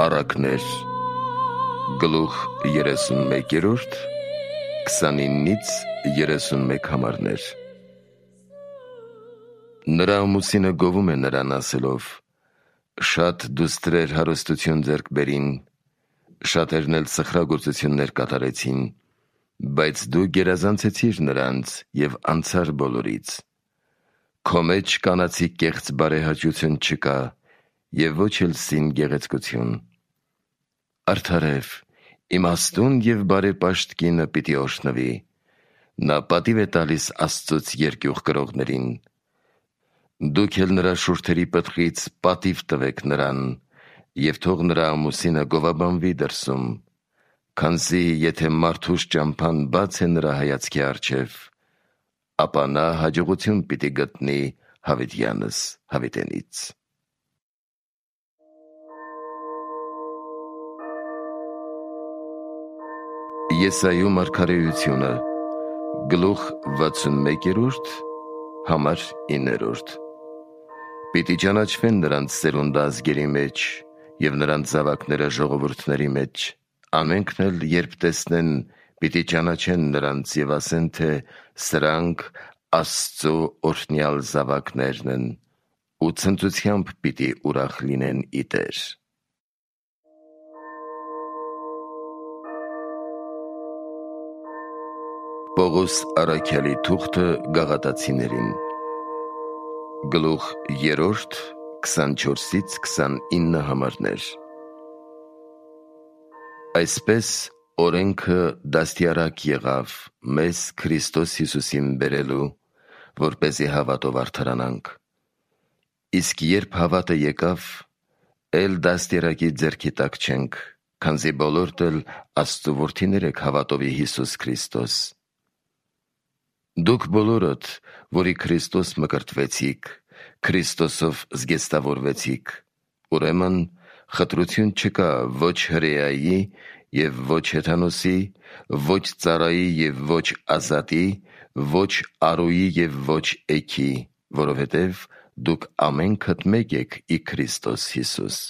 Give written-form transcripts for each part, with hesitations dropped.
Առակներ, գլուխ 31, 29-ից 31 համարներ։ Նրա ամուսինը գովում է նրան ասելով. «Շատ դուստրեր հարստություն ձեռք բերին, շատերն էլ սխրագործություններ կատարեցին, բայց դու գերազանցեցիր նրանց և անցար բոլորից։ Քո մեջ կանացի կեղծ բարեհաճություն չկա և ոչ էլ սին գեղեցկություն։ Արդարև, իմաստուն և բարեպաշտ կինը պիտի օրհնվի, նա պատիվ է տալիս Աստծուց երկյուղ կրողներին։ Դուք էլ նրա շուրթերի պտղից պատիվ տվեք նրան և թող նրա ամուսինը գովաբանվի դրսում, քանզի եթե մարդուս ճամփան բաց է նրա հայացքի առջև, ապա նա հաջողություն պիտի գտնի հավիտյանս հավիտենից»։ Եսայու մարգարեությունը, գլուխ 61, համար 9։ Պիտի ճանաչվեն նրանց սերունդը ազգերի մեջ և նրանց զավակները ժողովուրդների մեջ, ամենքն էլ երբ տեսնեն, պիտի ճանաչեն նրանց և ասեն, թե սրանք Աստծու օրհնյալ զավակներն են, ու ցնծությամբ պիտի ուրախ լինեն ի Տեր։ Պողոս առաքյալի թուղթը Գաղատացիներին, գլուխ 3, 24-ից 29 համարներ։ Այսպես օրենքը դաստիարակ եղավ մեզ Քրիստոս Հիսուսին բերելու, որպեսզի հավատով արդարանանք։ Իսկ երբ հավատը եկավ, էլ դաստիարակի ձեռքի տակ չենք, քանզի բոլորդ էլ Աստծու որդիներ եք հավատովի Հիսուս Քրիստոս։ Դուք բոլորդ, որի Քրիստոս մկրտվեցիք, Քրիստոսով զգեստավորվեցիք, ուրեմն խտրություն չկա ոչ հրեայի և ոչ հեթանոսի, ոչ ծառայի և ոչ ազատի, ոչ արուի և ոչ էգի, որովհետև դուք ամենքդ մեկ եք ի Քրիստոս Հիսուս։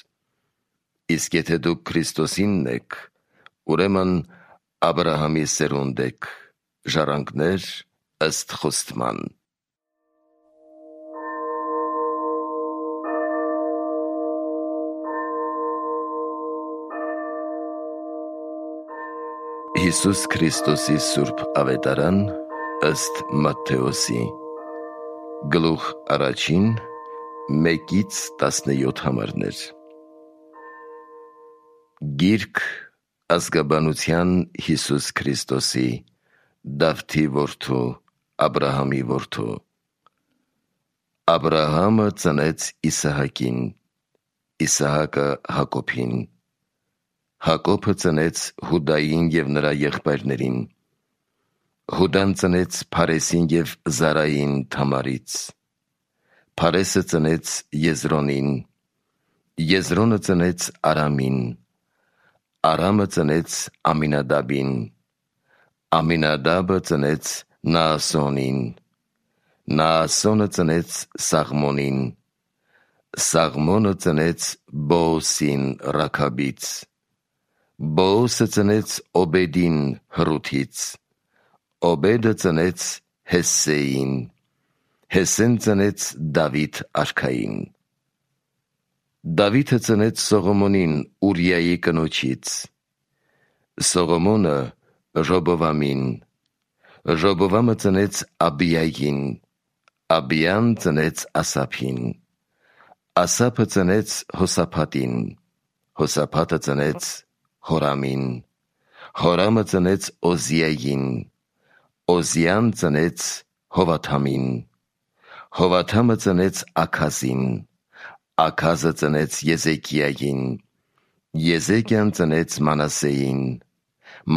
Իսկ եթե դուք Քրիստոսինն եք, ուրեմն Աբրահամի սերունդ եք, ժառանգներ ըստ խոստման։ Հիսուս Քրիստոսի սուրբ ավետարան ըստ Մատթեոսի, գլուխ 1, 1-ից 17 համարներ։ Գիրք ազգաբանության Հիսուս Քրիստոսի, Դավթի որդու, Աբրահամի որդու։ Աբրահամը ծնեց Իսահակին, Իսահակը Հակոբին, Հակոբը ծնեց Հուդային և նրա եղբայրներին։ Հուդան ծնեց Փարեսին և Զարային Թամարից։ Փարեսը ծնեց Եզրոնին, Եզրոնը ծնեց Արամին, Արամը ծնեց Ամինադաբին, Ամինադաբը ծնեց Նաասոնին, Նաասոնը ծնեց Սաղմոնին, Սաղմոնը ծնեց Բոոսին Ռաքաբից, Բոոսը ծնեց Օբեդին Հռութից, Օբեդը ծնեց Հեսսեին, Հեսսեն ծնեց Դավիթ արքային։ Դավիթը ծնեց Սողոմոնին Ուրիայի կնոջից, Սողոմոնը Ռոբովամին, Ռոբովամը ծնեց Աբիային, Աբիան ծնեց Ասափին, Ասափը ծնեց Հոսափատին, Հոսափատը ծնեց Հորամին, Հորամը ծնեց Օզիային, Օզիան ծնեց Հովաթամին, Հովաթամը ծնեց Աքազին, Աքազը ծնեց Եզեկիային, Եզեկիան ծնեց Մանասեին,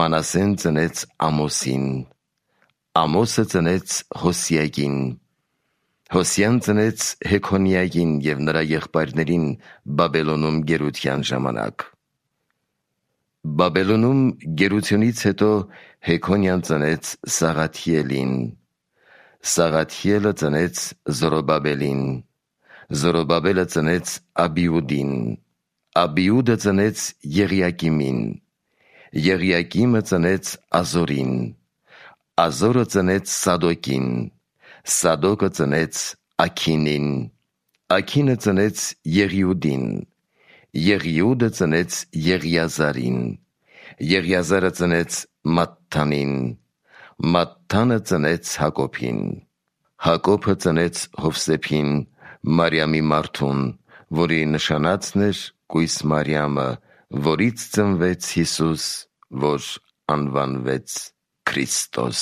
Մանասեն ծնեց Ամոսին, Ամոսը ծնեց Հոսիային, Հոսիան ծնեց Հեքոնիային և նրա եղբայրներին Բաբելոնում գերության ժամանակ։ Բաբելոնում գերությունից հետո Հեքոնիան ծնեց Սաղաթիելին, Սաղաթիելը ծնեց Զորոբաբելին, Զորոբաբելը ծնեց Աբիուդին, Աբիուդը ծնեց Եղիակիմին, Եղիակիմը ծնեց Ազորին, Ազորը ծնեց Սադոկին, Սադոկը ծնեց Աքինին, Աքինը ծնեց Եղիուդին, Եղիուդը ծնեց Եղիազարին, Եղիազարը ծնեց Մատթանին, Մատթանը ծնեց Հակոբին, Հակոբը ծնեց Հովսեփին, Մարիամի մարդուն, որի նշանածն էր կույս Մարիամը, որից ծնվեց Հիսուս, որ անվանվեց Քրիստոս։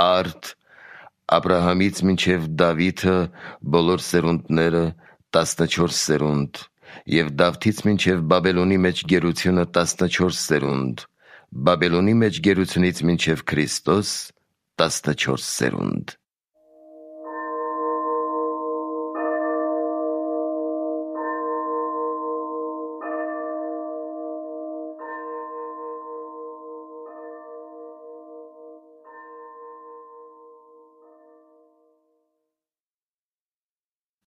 Արդ Աբրահամից մինչև Դավիթը բոլոր սերունդները 14 սերունդ, և Դավթից մինչև Բաբելոնի մեջ գերությունը 14 սերունդ, Բաբելոնի մեջ գերությունից մինչև Քրիստոս 14 սերունդ։